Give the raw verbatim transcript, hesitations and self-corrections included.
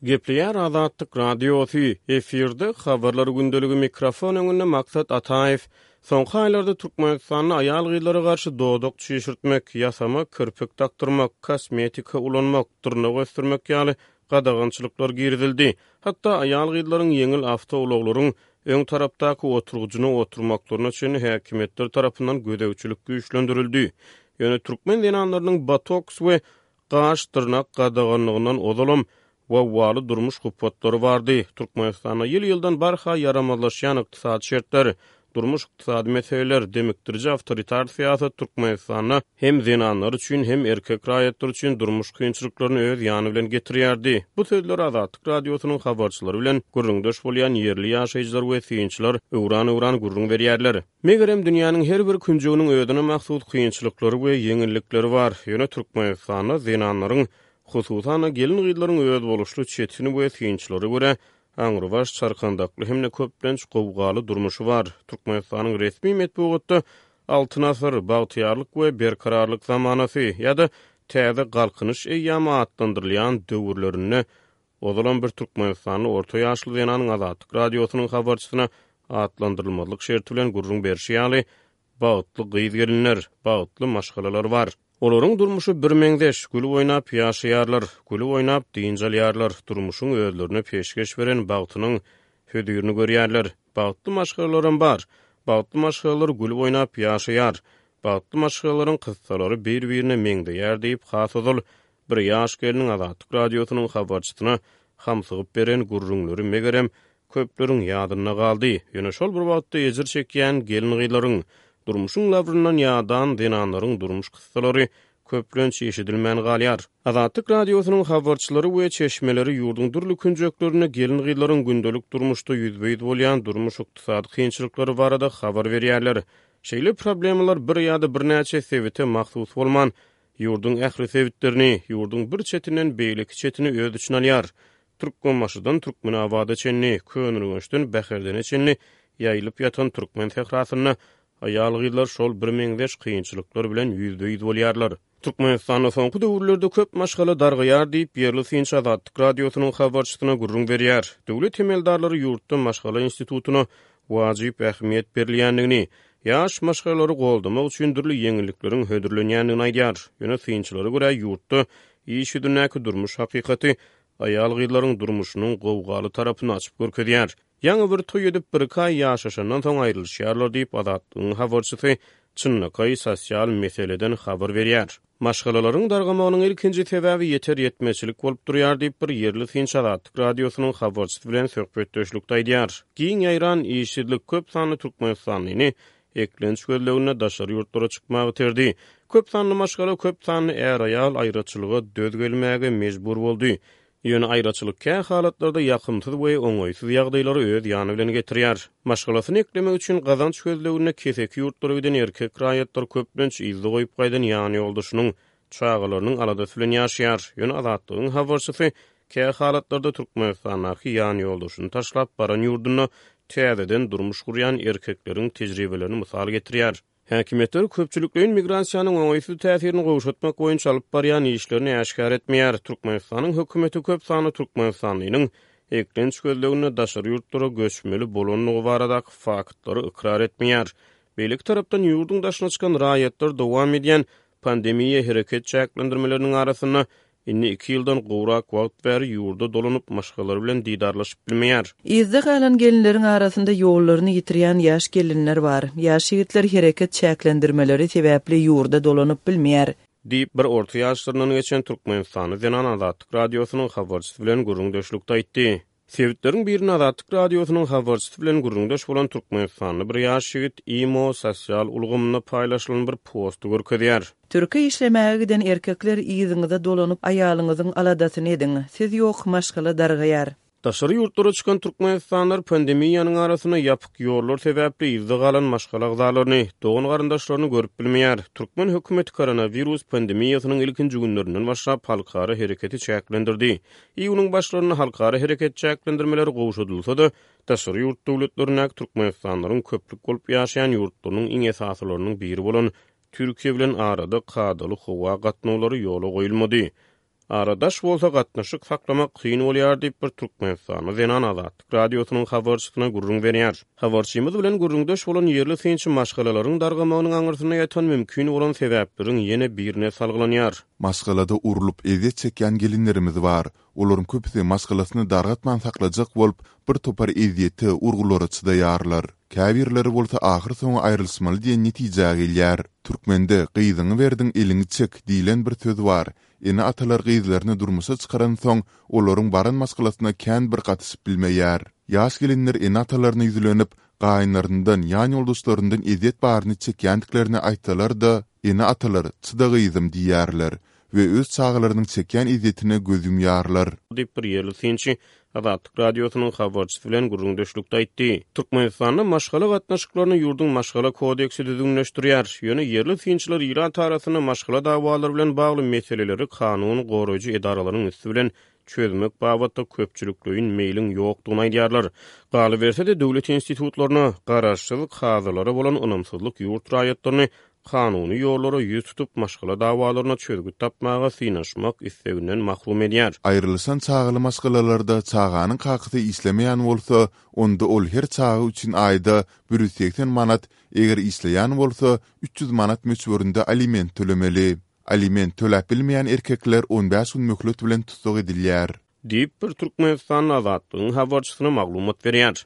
Gepleýär Azatlyk Radiosy, efirde Habarlar gündeligi mikrofon öňünde Maksat Ataýew. Soňky aýlarda Türkmenistanda aýal-gyzlara garşy dodak çişirtmek, ýasama kirpik dakdyrmak, kosmetika ulanmak, dyrnak ösdürmek ýaly gadagançylyklar girizildi. Hatda aýal-gyzlaryň ýeňil awtoulaglaryň öň tarapdaky oturgyjyna oturmaklaryna çenli häkimiýetler tarapyndan gözegçilik güýçlendirildi. Ýöne türkmen zenanlarynyň botoks we gaş-dyrnak gadaganlygyndan ozalam wawwaly durmuş hupatlary bardy. Türkmenistanda ýyl-ýyldan barha ýaramazlaşýan ykdysady şertler, durmuş-ykdysady meseleler, demikdiriji awtoritar syýasat Türkmenistanda hem zenanlar üçin, hem erkek raýatlar üçin durmuş kynçylyklaryny öz ýany bilen getirýärdi. Bu sözleri Azatlyk Radiosynyň habarçylary bilen gürrüňdeş bolýan ýerli ýaşaýjylar we synçylar öwran-öwran gürrüň berýärler. Megerem, dünýäniň her bir künjeginiň özüne mahsus kynçylyklary we ýeňillikleri bar. Ýöne Türkmenistanda zenanlaryň, hususan-da gelin-gyzlaryň özboluşly çetin we synçylara görä aňrybaş çarkandakly hem-de köplenç gowgaly durmuşy bar. Türkmenistanyň resmi metbugatda Altyn asyr, bagtyýarlyk we berkararlyk zamanasy ýa-da Täze Galkynyş eýýamy atlandyrylýan döwürlerinde ozalam bir türkmenistanly orta ýaşly zenanyň Azatlyk Radiosynyň habarçysyna atlandyrylmazlyk şerti bilen gürrüň berşi ýaly, bagtly gyz-gelinler, bagtly maşgalalar bar. Olaryň durmuşy birmeňzeş, gülüp oýnap ýaşaýarlar, gülüp oýnap dynç alýarlar, durmuşyň özlerine peşgeş beren bagtynyň hözirini görýärler. Bagtly maşgalalaram bar. Bagtly maşgalalar gülüp oýnap ýaşaýar. Bagtly maşgalalaryň kyssalary bir-birine meňzeýär diýip, has ozal bir ýaş gelniň Azatlyk Radiosynyň habarçysyna hamsygyp beren gürrüňleri, megerem, köpleriň ýadynda galdy. Ýöne şol bir wagtda ejir çekýän gelin-gyzlaryň, durmuşyň labryndan ýadan zenanlaryň durmuş kyssalary köplenç eşidilmän galýar. Azatlyk Radiosynyň habarçylary we çeşmeleri ýurduň dürli künjeklerinde gelin-gyzlaryň gündelik durmuşda ýüzbe-ýüz bolýan durmuş-ykdysady kynçylyklary barada habar berýärler. Şeýle problemalar bir ýa-da birnäçe sebite mahsus bolman, ýurduň ähli sebitlerini, ýurduň bir çetinden beýleki çetini öz içine alýar. Türkmenbaşydan Türkmenabada çenli, Köneürgençden Bäherdene çenli ýaýylyp ýatan türkmen sährasynda aýal-gyzlar şol birmeňzeş kynçylyklar bilen ýüzbe-ýüz bolýarlar. Türkmenistanda soňky döwürlerde köp maşgala dargaýar diýip, ýerli synçy Azatlyk Radiosynyň habarçysyna gürrüň berýär. Döwlet emeldarlary ýurtda maşgala institutyna wajyp ähmiýet berilýändigini, ýaş maşgalalary goldamak üçin dürli ýeňillikleriň hödürlenýändigini aýdýar. Ýöne synçylara görä, ýurtda iş ýüzündäki durmuş hakykaty aýal-gyzlaryň durmuşynyň gowgaly tarapyny açyp görkezýär. Ýaňy bir toý edip, bir-iki aý ýaşaşandan soň aýrylyşýarlar diýip, Azatlygyň habarçysy çynlakaý sosial meseleden habar berýär. Maşgalalaryň dargamagynyň ilkinji sebäbi ýeter-ýetmezçilik bolup durýar diýip, bir ýerli synçy Azatlyk Radiosynyň habarçysy bilen söhbetdeşlikde aýdýar. Giň ýaýran işsizlik köp sanly türkmenistanlyny eklenç gözleginde daşary ýurtlara çykmaga iterdi. Köp sanly maşgala, köp sanly är-aýal aýraçylyga döz gelmäge mejbur boldy. Ýöne aýraçylyk kä halatlarda ýakymsyz we oňaýsyz ýagdaýlary öz ýany bilen getirýär. Maşgalasyny eklemek üçin gazanç gözleginde keseki ýurtlara giden erkek raýatlar köplenç yzda goýup gaýdan ýanýoldaşynyň, çagalarynyň aladasy bilen ýaşaýar. Ýöne Azatlygyň habarçysy kä halatlarda Türkmenistandaky ýanýoldaşyny taşlap baran ýurdunda täzeden durmuş gurýan erkekleriň tejribelerini mysal getirýär. Häkimiýetler köpçülikleýin migrasiýanyň oňaýsyz täsirini gowşatmak boýunça alyp barýan işlerini äşgär etmeýär. Türkmenistanyň hökümeti köp sanly türkmenistanlynyň eklenç gözleginde daşary ýurtlara göçmeli bolandygy baradaky faktlary ykrar etmeýär. Beýleki tarapdan, ýurduň daşyna çykan raýatlar dowam edýän pandemiýa hereket çäklendirmeleriniň arasynda indi iki ýyldan gowrak wagt bäri ýurda dolanyp, maşgalalary bilen didarlaşyp bilmeýär. Yzda galan gelinleriň arasynda ýollaryny ýitirýän ýaş gelinler bar. Ýaş ýigitler hereket çäklendirmeleri sebäpli ýurda dolanyp bilmeýär. Diýip, bir orta ýaşlaryndan geçen türkmenistanly zenan Azatlyk Radiosynyň habarçysy bilen gürrüňdeşlikde aýtdy. Sebitleriň birinde Azatlyk Radiosynyň habarçysy bilen gürrüňdeş bolan türkmenistanly bir ýaş ýigit imo sosial ulgamynda paýlaşylan bir posty görkezýär. Türkiýä işlemäge giden erkekler yzyňyza dolanyp, aýalyňyzyň aladasyny ediň. Siz ýok, maşgala dargaýar. Daşary ýurtlara çykan türkmenistanlylar pandemiýanyň arasynda ýapyk ýollar sebäpli yzda galan maşgala agzalaryny, dogan-garyndaşlaryny görüp bilmeýär. Türkmen hökümeti koronawirus pandemiýasynyň ilkinji günlerinden başlap halkara hereketi çäklendirdi. Iýunyň başlarynda halkara hereket çäklendirmeleri gowşadylsa-da, daşary ýurt döwletlerindäki türkmenistanlylaryň köplük bolup ýaşaýan ýurtlarynyň iň esasylarynyň biri bolan Türkiýe bilen arada kadaly howa gatnawlary ýola goýulmady. Ara daş bolsa gatnaşyk saklamak kyn bolýar diýip, bir türkmenistanly zenan Azatlyk Radiosynyň habarçysyna gürrüň berýär. Habarçymyz bilen gürrüňdeş bolan ýerli synçy maşgalalaryň dargamagynyň aňyrsynda ýatan mümkin bolan sebäpleriň ýene birine salgylanýar. Maşgalada urlup, ezýet çekýän gelinlerimiz bar. Olaryň köpüsi maşgalasyny dargatman saklajak bolup, bir topar ezýete, urgulara çydaýarlar. Käbirleri bolsa ahyrsoňy aýrylyşmaly diýen netijä gelýär. Türkmende gyzyňy berdiň, eliňi çek diýlen bir söz bar. Ene-atalar gyzlaryny durmuşa çykaransoň, olaryň baran maşgalasyna kän bir gatyşyp bilmeýär. Ýaş gelinler ene-atalaryna ýüzlenip, gaýynlaryndan, ýan ýoldaşlaryndan ezýet baryny çekýändiklerini aýtsalar-da, ene-atalar çyda gyzym diýýärler we öz çagalarynyň çekýän ezýetine göz ýumýarlar. Diýip, bir ýerli synçy Azatlyk Radiosynyň habarçysy bilen gürrüňdeşlikde aýtdy. Türkmenistanda maşgala gatnaşyklaryny ýurduň Maşgala kodeksi düzgünleşdirýär. Ýöne ýerli synçylar ilat arasynda maşgala dawalary bilen bagly meseleleri kanun goraýjy edaralaryň üsti bilen çözmek babatda köpçülikleýin meýliň ýokdugyny aýdýarlar. Galyberse-de, döwlet institutlaryna, garaşsyz kazylara bolan ynamsyzlyk ýurt raýatlaryny kanuny ýollara ýüz tutup, maşgala dawalaryna çözgüt tapmaga synanyşmak isleginden mahrum edýär. Aýrylyşan çagaly maşgalalarda çaganyň kakasy işlemeýän bolsa, onda ol her çaga üçin aýda bir ýüz segsen manat, eger işleýän bolsa, üç ýüz manat möçberinde aliment tölemeli. Aliment töläp bilmeýän erkekler on bäş gün möhlet bilen tussag edilýär. Diýip, bir türkmenistanly Azatlygyň habarçysyna maglumat berýär.